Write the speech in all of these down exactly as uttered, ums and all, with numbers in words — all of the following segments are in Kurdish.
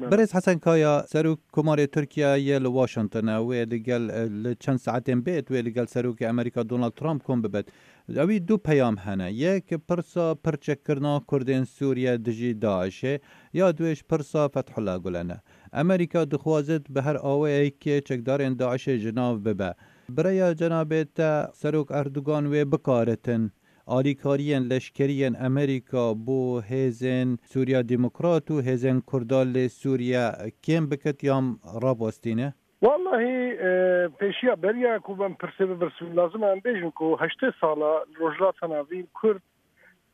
Berêz Hesen Kaya, Serok Komarê Tirkiye yê li Washington e, wê li gel, e, li çend saetên bêt wê li gel Serokê Amerîka Donald Trump kom bibet. Ewî du peyam hene. Yek pirsa pirçekkirina Kurdên Sûriye dijî DAIŞê, ya duêş pirsa Fethullah Gulen e. Amerîka dixwazit bi her awayekê çekdarên DAIŞê ji nav bibe. Bi rêya cenabê te Serok Erdogan wê bikaritin alîkariyên leşkerî yên Amerîka bo hêzên Sûriya Demokrat û hêzên Kurda li Sûriye kêm bikit yan rawestîne? Wallahî, e, pêşiya beriya ku em pirsê bipirsin, lazim e em bêjin ku heştê sala li Rojhilata Navîn Kurd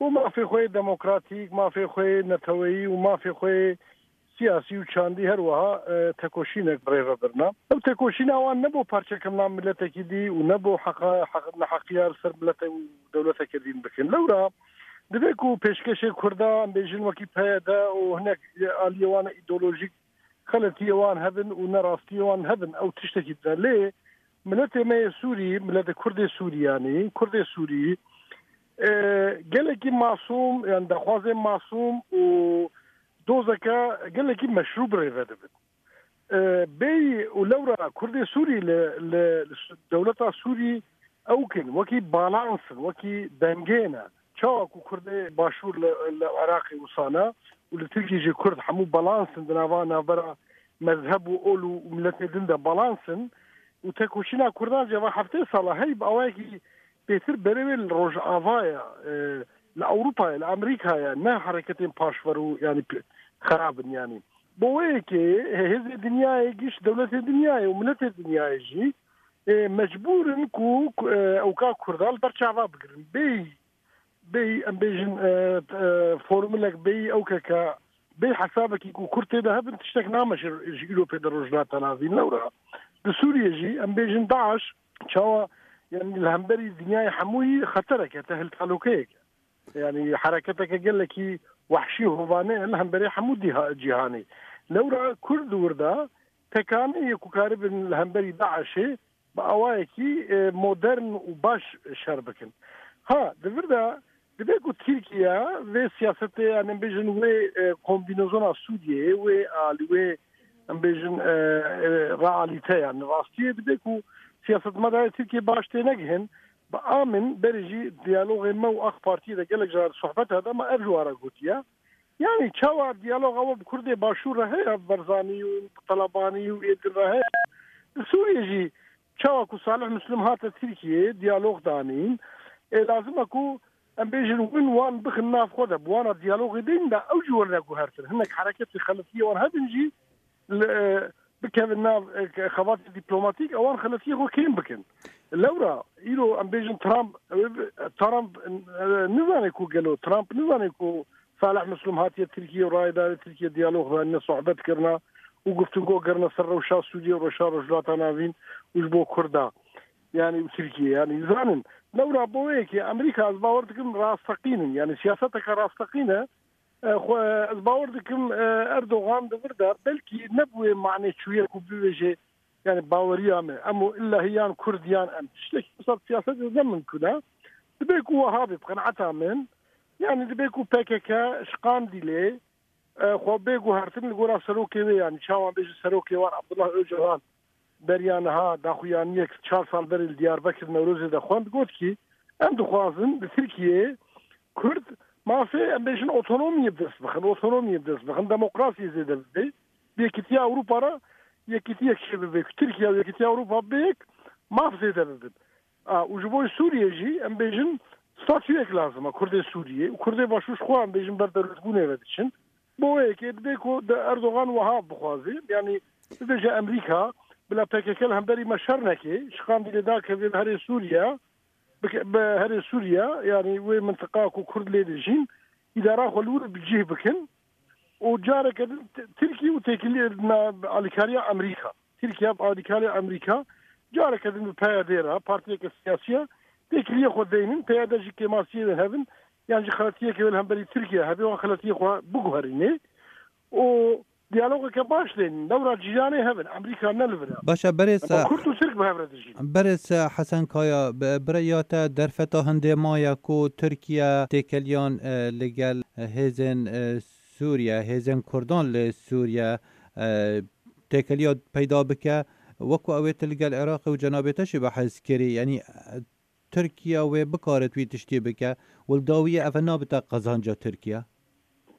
bo mafê xwe yê demokratîk, mafê xwe yê neteweyî û mafê xwe yê siyasî û çandî her wiha, e, tekoşînek bi rê ve birina. Ev tekoşîna wan ne bo parçekirina miletekî dî û ne bo heqa, heq, neheqiya li ser milete û dewleteke dîn bikin. Lewra divê ku pêşkêşê Kurda, em bêjin wekî P Y D û hinek aliyê wan îdeolojîk xeletiyê wan hebin û nerastiyê wan hebin, ew tiştekî din e. Lê miletê me yê Sûrî, miletê Kurdê Sûrî, yanî Kurdê Sûrî, e, gelekî masûm, yani daxwazên masûm û dozeke gelekî meşrû bi rê ve dibin. E, bêyî û lewra Kurdê Sûrî li, li, li dewleta Sûrî ew kin, wekî balans in, wekî dengê ne. Çawa ku Kurdê Başûr li, li Iraqê wisa ne û li Tirkiyê jî Kurd hemû balans in, di nava navbera mezheb û ol û miletê din de balans in û tekoşîna Kurdan jî eva heftê sala hey bi awayekî bêtir berê wê li Rojavayê, e, li Ewropayê, li Amerîkayê, ne hereketên paşver û, yanî, p-, xerab in, yanî. Bo wê yekê hêzê dinyayê, giş dewletê dinyayê û miletê dinyayê jî, e, mecbûr in ku, ku, e, ewka Kurda li ber çava bigirin. Bêyî, bêyî, em bêjin, e, e, formulek bêyî, ewkeke bêyî hesabekî ku Kurd tê de hebin, tiştek nameşe ji îro pê de Rojhilata Navîn. Lewra di Sûriyê jî, em bêjin, DAIŞ çawa, yani, li hemberî dinyayê hemûyî xetereke, tehlkalokeyeke. Yani, hereketeke gelekî wehşî û hovane ye li hemberî hemû dîha-, cîhanê. Lewra Kurd di wir de tekaneyê ku karibin li hemberî DAIŞê bi awayekî, e, modern û baş şer bikin. Ha, di vir de dibe ku Tirkiye vê siyasetê, yani, em bêjin wê, e, kombînezona Sûriyeyê, wê alî, wê, em bêjin, e, e, realîte, yani, rastiyê dibe ku siyasetmedarê Tirkiye baş tênegihin, bi amin berê jî diyalogê me û AK Partiyê de gelek caran sohbet hebe, me ev ji wan re gotiye. Yani çawa diyaloga we bi Kurdê Başûr re heye, Barzanî û Talabanî û ê din re heye? Li Sûriyê jî çawa ku Salih Muslim hate Tirkiyeyê, diyalog danîn, ê lazim e ku em bêjin win wan bixin nav xwe de, bi wan re diyalogê bînin de ew jî werine guhertin. Hinek hereketê xeletiyê wan hebin jî li, e, bikevin nav, e, xebatê dîplomatîk, ewan xeletiyê xwe kêm bikin. Lewra îro em bêjin Trump, e, Trump, e, nizane ku gelo, Trump nizane ku Salih Muslim hatiye Tirkiye û rayê dayê Tirkiye diyalog danîne, sohbet kirine û guftingo kirine ser rewşa Sûriye û rewşa Rojhilata Navîn û ji bo Kurda, yani û Tirkiye, yani zanin. Lewra bo wê yekê Amerîka, ez bawer dikim, rasteqîn in, yani siyaseteke rasteqîn e. E, xwe, ez bawer dikim, e, Erdogan di vir de belkî ne bi wê manê çûye ku bibêje, yani baweriya me, em û illa hî yan Kurd yan em. Tiştekî wisa siyasetê ne mimkun e. Dibe ku wiha be, bi qenaeta min, yani dibe ku P K K ji Qandîlê, e, xwe bê guhertin li gora serokê wê, yani çawa bêje serokê wan Abdullah Öcalan, beriya niha daxuyaniyek çar sal berê li Diyarbekir Newrozê de xwend, got ki, em dixwazin li Tirkiyeyê Kurd mafê, em bêjin, otonomiyê bi dest bixin, otonomiyê bi dest bixin, demokrasiyê zêde bibe. Bi Yekîtiya Ewropa re yekîtiyek çêbibe, ku Tirkiye û Yekîtiya Ewropa bê yek maf zêde bibin. A, û ji bo Sûriyê jî, em bêjin, statuyek lazim e Kurdê Sûriyê û Kurdê Başûr ji xwe, em bêjin, ber dewletbûnê ve diçin. Bo wê yekê dibe ku de Erdogan wiha bixwaze, yanî bibêje Amerîka bila P K K li hemberî me şer neke, ji Qandîlê dakeve bi herê Sûriye, bike-, bi herê Sûriye, yanî wê mintiqa ku Kurd lê dijîn, îdara xwe li wir bi cih bikin û careke din T-, Tirkiye û têkiliyê na alîkariya Amerîka. Tirkiye bi alîkariya Amerîka careke din bi P Y D re, partiyeke siyasî ye, têkiliyê xwe deynin, P Y D jî kêmasiyê wê hebin, yan jî xeletiyeke wê li hemberî Tirkiye hebe, wan xeletiyê xwe biguherînê û diyalogeke baş deynin. Lewra cîranê hebin, Amerîka ne li vir e. Baş e, berêz, Ama Kurd û Tirk bi hev re dijîn. Berêz Hesen Kaya, bi-, bi rêya te derfeta hindê maye ku Tirkiye têkeliyan, e, li gel, e, hêzên, e, Sûriye, hêzên Kurdan li Sûriye, e, têkiliya peyda bike, wekî ew ê tu li gel Iraqê û cenabê te jî behs kirî, yanî, e, Tirkiye wê bikarit wî tiştî bike, û li dawiyê ev nabite qezanca Tirkiye?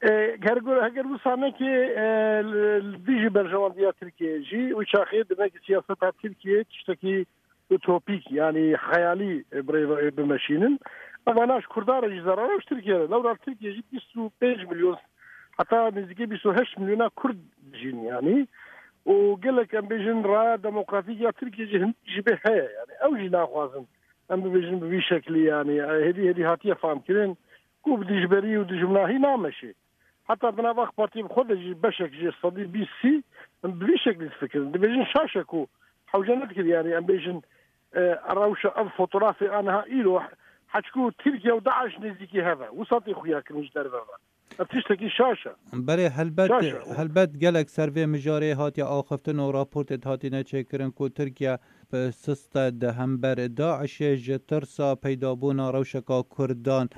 E, ger gur-, heger wisa neke, e, li, li dijî berjewendiya Tirkiye jî, wî çaxê dime ki siyaseta Tirkiye tiştekî utopîk, yanî xeyalî, e, bi rê ve bimeşînin. Eva na ji Kurdan re jî zerar e, ji Tirkiye re. Lewra Tirkiye jî bîst û pênc milyon, heta nêzîkî bîst û heşt milyona Kurd dijîn yanî. Û gelek, em bêjin, raya demokratîk ya Tirkiye jî hin jî bê heye. Yanî ew jî naxwazin, em bibêjin, bi vî şeklî, yanî, e, hêdî hêdî hatiye famkirin ku bi dijberî û dijminahî nameşê. Heta di nav AK Partiyê bi xwe de jî beşek jê sedî bîst sî bi vî şeklî difikirin. Dibêjin şaş e ku hewce nedikir, yanî em bêjin, e, rewşa ev fotografê a niha îro, heçku Tirkiye û DAIŞ nêzîkî hev e. Wisa tê xuya kirin ji derve ve. Ev tiştekî şaş e. Belê, helbet, Şaş e. Helbet gelek ser vê mijarê hatiye axiftin û raportê hatine çêkirin ku Tirkiye bi sist e di hember DAIŞê ji tirsa peydabûna rewşeka Kurdan.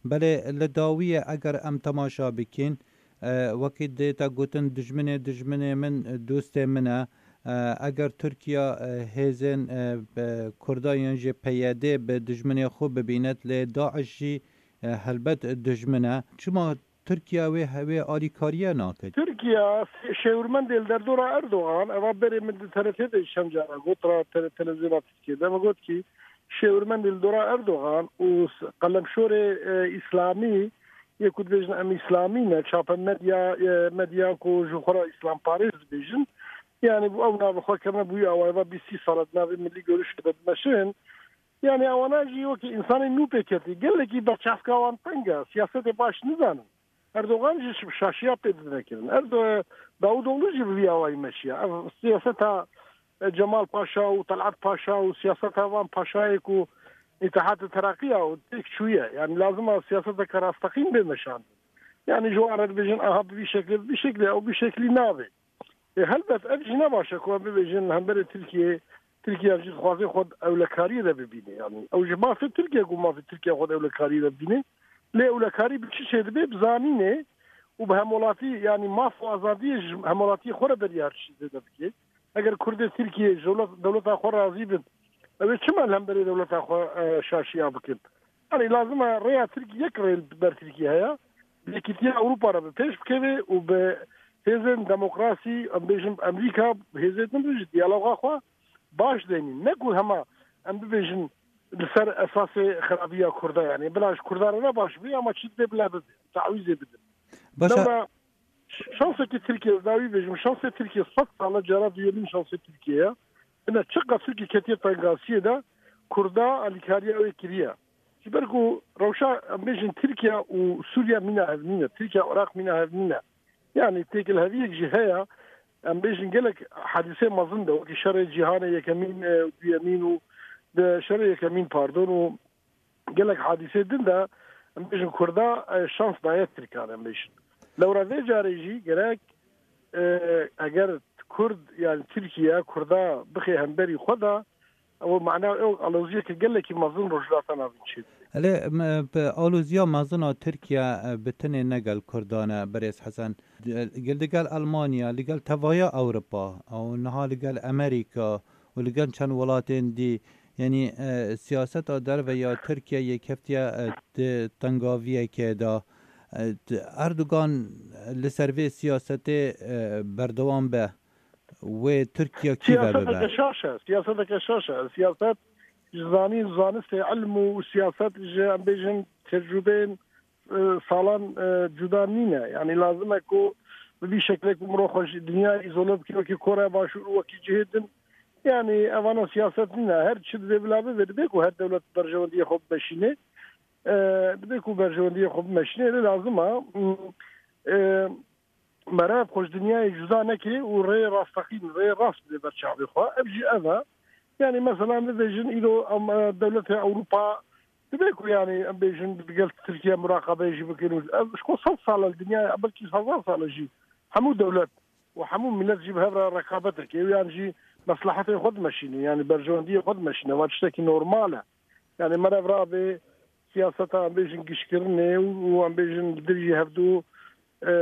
Belê li dawiyê eger em temaşa bikîn, e, wekî dê te gotin, dijminê dijminê min, dostê min e. E, eger Tirkiye, e, hêzên, e, be-, Kurda yan jî P Y D bi dijminê xwe bibînet, lê DAIŞ jî, e, helbet dijmin e. Çima Tirkiye wê hewê alîkariye nake? Tirkiye şêwirmendê li derdora Erdogan, eva berê min di T R T de çend cara got, ra tele-, televizyona Tirkiye de min got ki şêwirmendê li dora Erdogan û s-, qelemşorê, e, îslamî, yê ku dibêjin em îslamî ne, çape medya, e, medya ku ji xwe re îslamparêz dibêjin, yanî bu ew navê xwe kirine bûyî awayê ve bîst sî sal e di navê Milli Görüşê de dimeşin. Yanî ewana jî wekî însanên nû pê ketî. Gelekî berçavka wan teng e. Siyasetê baş nizanin. Erdogan jî şaşiya pê dide kirin. Erdo-, Davutoglu jî bi vî awayî meşiya. Ev siyaseta, e, Cemal Paşa û Talat Paşa û siyaseta van paşayê ku Îttihat Tereqiya û têk çûye. Yanî lazim e siyaseteke rasteqîn bê meşandin. Yanî ji wan re dibêjin, aha bi vî şeklê, bi vî şeklê, ew bi vî şeklî nabe. E, helbet ev jî ne baş e ku em bibêjin li hemberê Tirkiyê, Tirkiye jî dixwaze xwe di ewlekariyê de bibîne. Yanî ew ji mafê Tirkiye ku mafê Tirkiye xwe di ewlekariyê de bibîne. Lê ewlekarî bi çi çêdibe? Bi zanînê û bi hemwelatî, yanî maf û azadiyê ji hemwelatiyê xwe re beriya her tiştî zêde bike. Eger Kurdê Tirkiyê ji dewlet-, dewleta xwe razî bin, ew ê çima li hemberê dewleta xwe, e, şaşiya bikin? Yanî lazim e rêya Tirk-, yek rê li ber Tirkiye heye. Bi Yekîtiya Ewropa re bi pêş bikeve û bi hêzên demokrasî, em bêjin Amerîka, hêzên din ji diyaloga xwe baş deynîn. Ne ku hema em bibêjin li ser esasê xirabiya Kurda, yanî bila ji Kurda re ne baş bê, ama çi divê bila bibe, tawîzê bidin. Başa. Lewra ş-, şansekî Tirkiye, ez dawî bêjim, şansê Tirkiye sed sal e, cara duyemîn şansê Tirkiye ye. Bine çiqas Tirkiye ketiye tengasiyê de, Kurda alîkariya wê kiriye. Ji ber ku rewşa, em bêjin, Tirkiye û Sûriye mîna hev nîne, Tirkiye û Iraq mîna hev nîne. Yanî têkilheviyek jî heye, em bêjin gelek hadîsê mezin de, wekî şerê cîhanê yekemîn, e, duyemîn û de şerê yekemîn, pardon, û gelek hadîsê din de, em bêjin, Kurda, e, şans daye Tirkan, em bêjin. Lewra vê carê jî gerek, e, eger Kurd, yani Tirkiye, Kurda bixê hemberî xwe de, ew mana ew aloziyeke gelekî mezin Rojhilata Navîn çêdibe. Elê, m-, bi aloziya mezin a Tirkiye, e, bi tenê ne gel Kurdan e, berêz Hesen. Di-, gel, digel Almanya, ligel tevaya Ewropa, ew niha ligel Amerîka û ligel çend welatên dî, yanî, e, siyaseta derve ya Tirkiye yê keftiye, e, di tengaviyekê de. E, di-, Erdogan li ser vê siyasetê, e, berdewam be, wê Tirkiye kî ve bibe? Siyaseteke şaş e, siyaseteke şaş e. Siyaset ji zanîn, zanistê, ilm û siyaset ji, em bêjin, tecrûbeyên, e, salan, e, cuda nîne. Yanî lazim e ku bi vî şeklê ku mirov xwe ji dinya îzole bike, wekî Koreya Başûr û wekî cihê din. Yanî evana siyaset nîne. Her çi divê bila bibe, divê ku her dewlet berjewendiyê xwe bimeşîne. E, divê ku berjewendiyê xwe bimeşîne. Lê lazim e, m, e, meriv xwe ji dinyayê cuda nekirê û rêyê rasteqîn, rêyê rast bidê ber çavê xwe. Ev jî ev e. Yanî mesela em bibêjin îro em, e, dewletê Ewropa divê ku, yanî em bêjin, digel Tirkiye muraqabeyê jî bikin û ev ji xwe sed sal e li dinyayê, belkî hezar sal e jî hemû dewlet û hemû milet jî bi hev re rekabet dike û yan jî meslehetê xwe dimeşîne, yanî berjewendiyê xwe dimeşîne. Ev tiştekî normal e. Yanî meriv rabe siyaseta, em bêjin, giştkirinê û, û em bêjin li dijî hevdu e,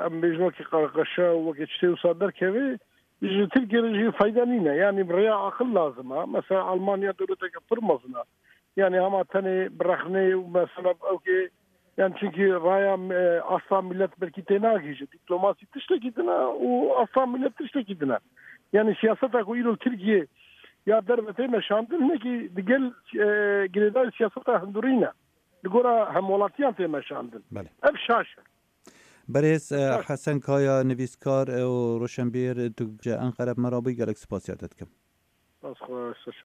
em bêjin wekî qerqeşe û wekî tiştê wisa derkeve, ji Tirkiye re jî fayda nîne. Yanî bi rêya aqil lazim e. Mesela Almanya dewleteke pir mezin e. Yanî hema tenê bi rexnê û mesela ew kê, yani çünkü raya, e, asla millet belkî tênagihîje. Dîplomasî tiştekî din e û asla millet tiştekî din e. Yani siyaseta ku îro li Tirkiye ya derve tê meşandin hinekî digel, e, girêdayî siyaseta hindurî ne. Li gora hemwelatiyan tê meşandin. Belê. Ev şaş e. Berêz, e, Şaş. Hesen Kaya, nivîskar, e, û roşenbîr, e, tu ji Enqere bi me re bûyî, gelek spasiya te dikim. Spas xweş.